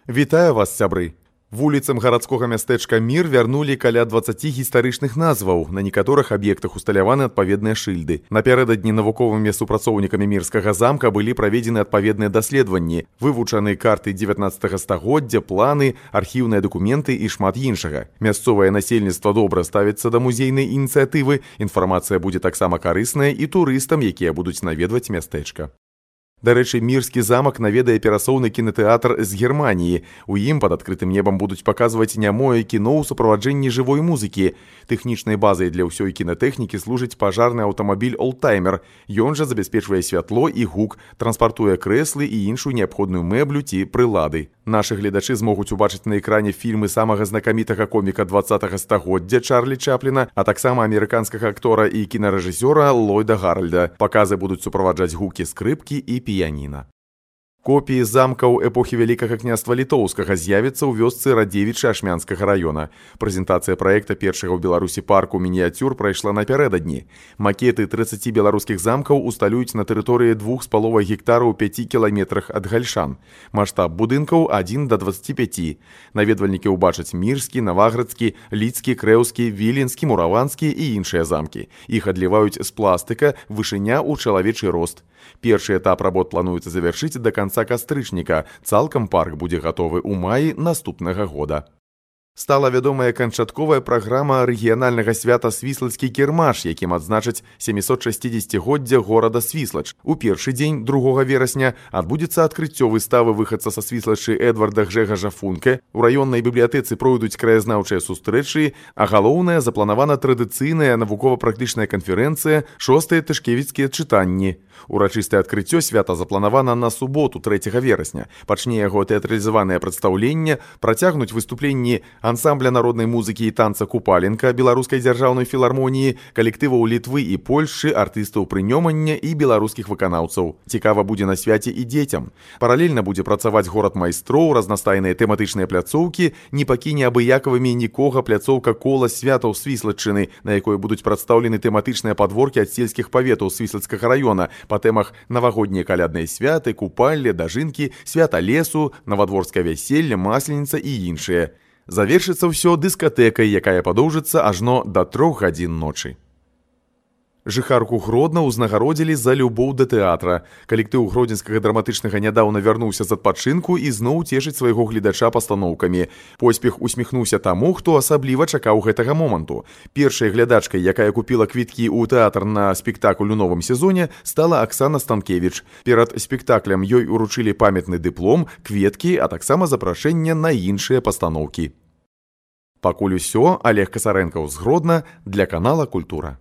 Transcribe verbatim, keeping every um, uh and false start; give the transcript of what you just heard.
Вітаю вас, сябры! Вуліцам гарадскога мястэчка Мір вярнулі каля дваццаці гістарычных назваў. На некаторых аб'ектах усталяваны адпаведныя шыльды. Напярэдадні навуковымі супрацоўнікамі Мірскага замка былі праведзены адпаведныя даследаванні, вывучаны карты дзевятнаццатага стагоддзя, планы, архіўныя дакументы і шмат іншага. Мясцовае насельніцтва добра ставіцца да музейнай ініцыятывы, інфармацыя будзе таксама карысная і турыстам, якія будуць наведваць мястэчка. Дарэчы, Мірскі замак наведае перасоўны кінатэатр з Германіі. У ім пад адкрытым небам будуць паказваць нямое кіно ў суправаджэнні жывой музыкі. Тэхнічнай базай для ўсёй кінатэхнікі служыць пажарны аўтамабіль «Олдтаймер». Ён жа забяспечвае святло і гук, транспартуе крэслы і іншую неабходную мэблю ці прылады. Нашы гледачы змогуць убачыць на экране фільмы самага знакамітага коміка дваццатага стагоддзя Чарлі Чапліна, а таксама амерыканскага актора і кінарэжысёра Ллойда Гаральда. Паказы будуць суправаджаць гукі скрыпкі і піяніна. Копіі замкаў эпохі Вялікага княства Літоўскага з'явяцца ў вёсцы Радзевічы Ашмянскага раёна. Прэзентацыя праекта першага ў Беларусі парку мініяцюр прайшла напярэдадні. Макеты трыццаці беларускіх замкаў усталююць на тэрыторыі двух з паловай гектараў у пяці кіламетрах ад Гальшан. Маштаб будынкаў адзін да дваццаці пяці. Наведвальнікі ўбачаць Мірскі, Наваградскі, Лідскі, Крэўскі, Віленскі, Мураванскі і іншыя замкі. Іх адліваюць з пластыка, вышыня ў чалавечы рост. Першы этап работ плануецца завяршыць да канца кастрычніка. Цалкам парк будзе гатовы ў маі наступнага года. Стала вядомая канчатковая праграма рэгіянальнага свята Свіслацкі кірмаш, якім адзначаць сямісот шасцідзесяцігоддзя горада Свіслач. У першы дзень, другога верасня, адбудзецца адкрыццё выставы выхадца са Свіслачы Эдварда Гжэгажа Функе. У раённай бібліятэцы пройдуць краязнаўчыя сустрэчы, а галоўнае запланавана традыцыйная навукова-практычная канферэнцыя «Шостыя тышкевіцкія чытанні». Урачыстае адкрыццё свята запланавана на суботу, трэцяга верасня. Пачне яго тэатралізаванае прадстаўленне, працягнуць выступленні ансамбля народнай музыкі і танца «Купаленка» Беларускай дзяржаўнай філармоніі, калектываў Літвы і Польшчы, артыстаў прынёмання і беларускіх выканаўцаў. Цікава будзе на свяце і дзецям. Паралельна будзе працаваць горад майстроў, разнастайныя тэматычныя пляцоўкі, не пакіне абыякавымі нікога пляцоўка кола святаў Свіслаччыны, на якой будуць прадстаўлены тэматычныя падворкі ад сельскіх паветаў Свіслацкага раёна па тэмах навагоднія калядныя святы, купалле, дажынкі, свята лесу, навадворскае вяселле, масленіца і іншыя. Завершыцца ўсё дыскатэкай, якая падоўжыцца ажно да трох гадзін ночы. Жыхарку Гродна ўзнагародзілі за любоў да тэатра. Калектыў гродзенскага драматычнага нядаўна вярнуўся з адпачынку і зноў цешыць свайго гледача пастаноўкамі. Поспех усміхнуўся таму, хто асабліва чакаў гэтага моманту. Першай глядачкай, якая купіла квіткі ў тэатр на спектакль у новым сезоне, стала Аксана Станкевіч. Перад спектаклем ёй уручылі памятны дыплом, кветкі, а таксама запрашэнне на іншыя пастаноўкі. Пакуль усё, Олег Касарэнкаў з Гродна для канала «Культура».